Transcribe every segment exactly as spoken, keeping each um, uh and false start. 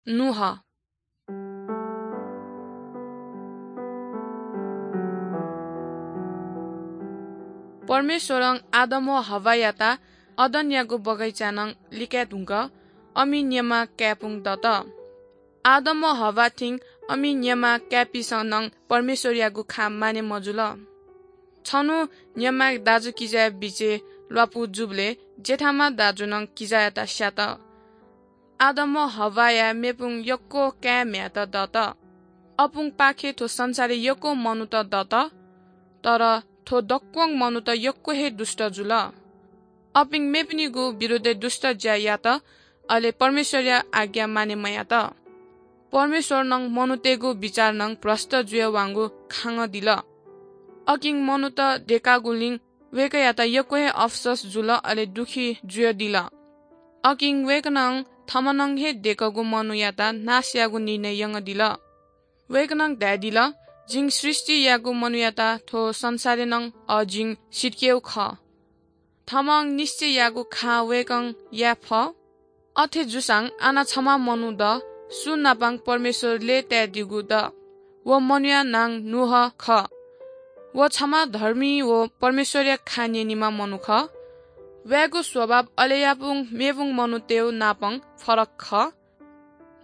नूह। परमेश्वरं आदम व हव्वायात अदनयागु बगैँचाय् नं लिकाये धुंकाः अमि न्यमा काय्‌पुं दत। आदम व हव्वा थें अमि न्यमा काय्‌पिसं नं परमेश्वरयागु खँ माने मजुल। छन्हु न्यमा दाजुकिजाया बिचय् ल्वापु जूबलय् जेठाम्ह दाजुनं किजायात स्यात। आदम व हव्वाया मेपुं यक्व काय् म्ह्याय्‌त दत। अपुंपाखें थ्व संसारय् यक्व मनूत दत, तर थ्व दक्वं मनूत यक्व हे दुष्ट जुल। अपिं मेपिनिगु विरोधय् दुष्ट ज्या यात, अले परमेश्वरया आज्ञा माने मयात। परमेश्वरनं मनूतय्‌गु बिचार नं भ्रष्ट जुयावंगु खांगः दिल। अकिं मनूत देकागुलिं वय्‌कःयात यक्व हे अफसोस जुल, अले दुःखी जुयादिल। अकिं वय्‌कलं थम्हं नं हे देकःगु मनूयात नाश यायेगु निर्णय यंगदिल। वय्‌कलं धयादिल, "जिं सृष्टि याःगु मनूयात थ्व संसारय् नं अ, जिं सितिकेगु खः।" थम्हं निश्चय याःगु खँ वय्‌कलं याये फः। अथे जूसां आः नं छम्ह मनू द, सु नापं परमेश्वर लय्‌तायेदीगु द। व मनूया नां नूह खः। व छम्ह धर्मी व परमेश्वरया खँ न्यनीम्ह मनू खः। वय्‌गु स्वभाव अले यापुं मेपुं मनूतय् नापं फरक खः।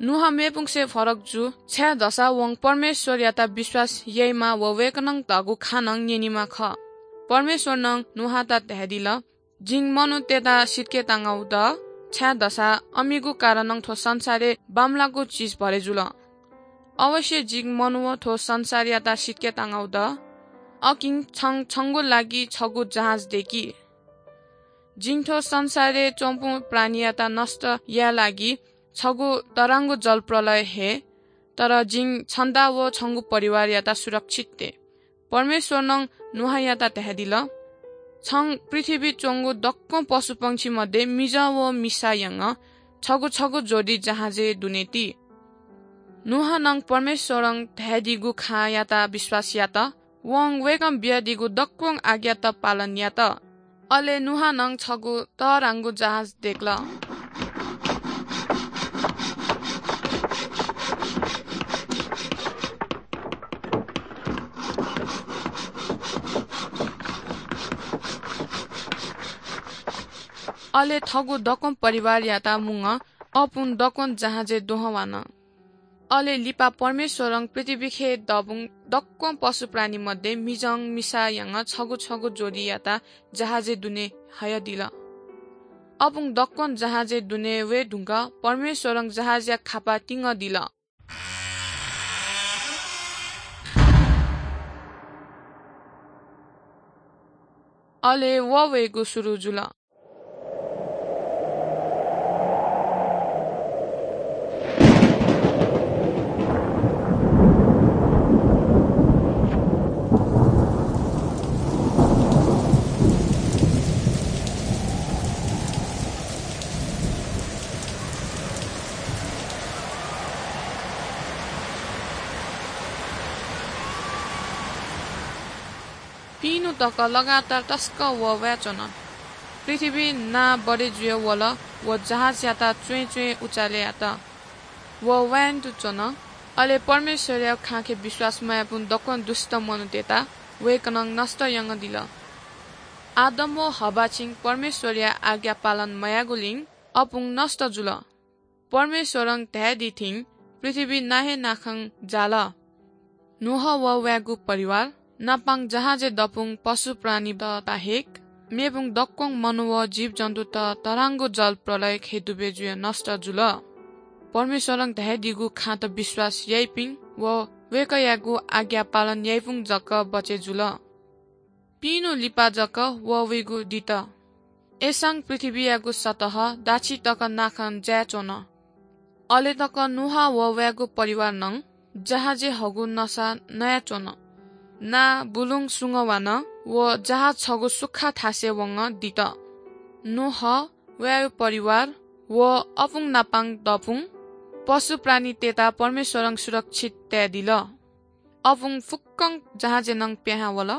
नूह मेपुंसे फरक जू, छाय्‌धाःसा वं परमेश्वरयात विश्वास याइम्ह व वय्‌कलं धाःगु खँ नं न्यनीम्ह खः। परमेश्वरनं नूहयात धयादिल, "जिं मनूतय्‌त सितिकेतांगु द, छाय्‌धाःसा अमिगु कारणं थ्व संसारय् बांमलाःगु चिज भरे जुल। अवश्य जिं मनू व थ्व संसारयात सितिकेतांगु द। अकिं छं छंगु लागि छगू जहाज देकि। जिं थ्व संसारय् च्वंपिं प्राणीयात नष्ट याये लागि छगू तःधंगु जलप्रलय हये, तर जिं छन्त व छंगु परिवारयात सुरक्षित तये।" परमेश्वरनं नूहयात धयादिल, "छं पृथ्वीइ च्वंगु दक्वं पशुपंक्षी मध्ये मिजं व मिसा यानाः छगू छगू जोडी जहाजय् दुने ति।" नूहं परमेश्वरं धयादीगु खँयात विश्वास यात। वं वय्‌कलं बियादीगु दक्वं आज्ञात पालन यात। अले नूहं छगू तःधंगु जहाज देकल। अले थःगु दक्वं परिवारयात मुंगः अपुं दक्वं जहाजय् दुहां वल। अले लिपा परमेश्वरं पृथ्वीइ दःबुं दक्वं पशुप्राणी मध्ये मिजं मिसा यानाः छगू छगू जोडीयात जहाजय् दुने हयादिल। अपुं दक्वं जहाजय् दुने वये धुंकाः परमेश्वरं जहाजया खापा तिंगदिल। अले वहः वयेगु सुरु जुल। पिइन्हु तक लगातार तसकं वहः वयाच्वन। पृथ्वीइ नां बढे जुया वल व जहाजयात च्वँय् च्वँय् उचाले यात। वहः वयां तुं च्वन। अले परमेश्वरया खँय् विश्वास मयाःपिं दक्वं दुष्ट मनूतय्‌त वय्‌कलं नष्ट यानादिल। आदम व हव्वां परमेश्वरया आज्ञा पालन मयाःगुलिं अपुं नष्ट जुल। परमेश्वरं धयादी थें पृथ्वी नां हे नाखं जाल। नोआ व वयागु परिवार नापं जहाजय् दःपुं पशुप्राणीत बाहेक मेपुं दक्वं मनू व जीवजन्तुत तःधंगु जल प्रलयय् दुबे जुयाः नष्ट जुल। परमेश्वरं धयादीगु खँत विश्वास याइपिं व वय्‌कःयागु आज्ञा पालन याइपिं जक बचे जुल। पिइन्हु लिपा जक वहः वइगु दित। अय्‌सां पृथ्वीयागु सतह दाछि तक नाखं जाय्‌च्वन। अले तक नोआ व वयागु परिवारं जहाजय् हःगु नसा नयाच्वन। नां बुलुं सुंगः वान व जहाज छगू सुखा थासय् वंगः दित। नोआ, वयागु परिवार व अपुं नापं दःपुं पशुप्राणीतय्‌त परमेश्वरं सुरक्षित तयादिल। अपुं फुक्कं जहाजय् नं पिहां वल।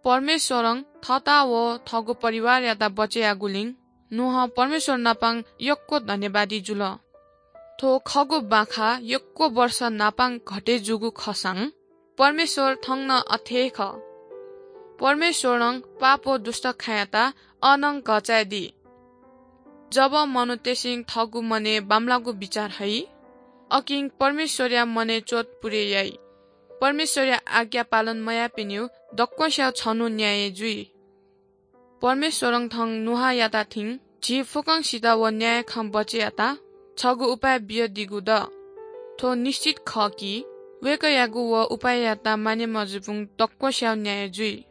परमेश्वरं थःत व थःगु परिवारयात बचे याःगुलिं नोआ परमेश्वर नापं यक्व धन्यवादी जुल। थ्व खःगु बाखा यक्व वर्ष नापां घटे जूगु खःसां परमेश्वर थौं नं अथे हे खः। परमेश्वरं पाप व दुष्ट खाँयात अनं घःचाय् दी। जब मनूतय्‌सं थःगु मनय् बांमलाःगु बिचाः हइ, अकिं परमेश्वरया मनय् च्वत पुरे याइ। परमेश्वरया आज्ञा पालन मयाःपिनिगु दक्वस्यागु छन्हु न्याय जुइ। परमेश्वरं थौं नोआयात थें झी फुक्कसित व न्याय खँ बचय् यायेत छगू उपाय बियादीगु दु। थ्व निश्चित खः कि वय्‌कःयागु व उपाययात मानय् मजूपिं दक्वस्यागु न्याय जुइ।